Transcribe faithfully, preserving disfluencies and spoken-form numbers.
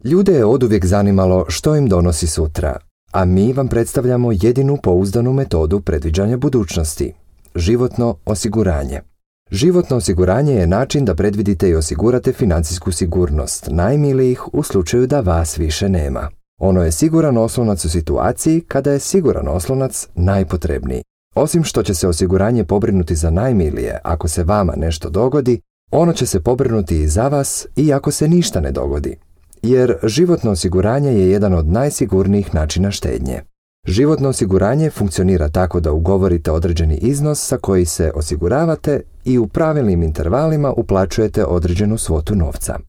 Ljude je oduvijek zanimalo što im donosi sutra, a mi vam predstavljamo jedinu pouzdanu metodu predviđanja budućnosti – životno osiguranje. Životno osiguranje je način da predvidite i osigurate financijsku sigurnost najmilijih u slučaju da vas više nema. Ono je siguran oslonac u situaciji kada je siguran oslonac najpotrebniji. Osim što će se osiguranje pobrinuti za najmilije ako se vama nešto dogodi, ono će se pobrinuti i za vas i ako se ništa ne dogodi. Jer životno osiguranje je jedan od najsigurnijih načina štednje. Životno osiguranje funkcionira tako da ugovorite određeni iznos sa koji se osiguravate i u pravilnim intervalima uplaćujete određenu svotu novca.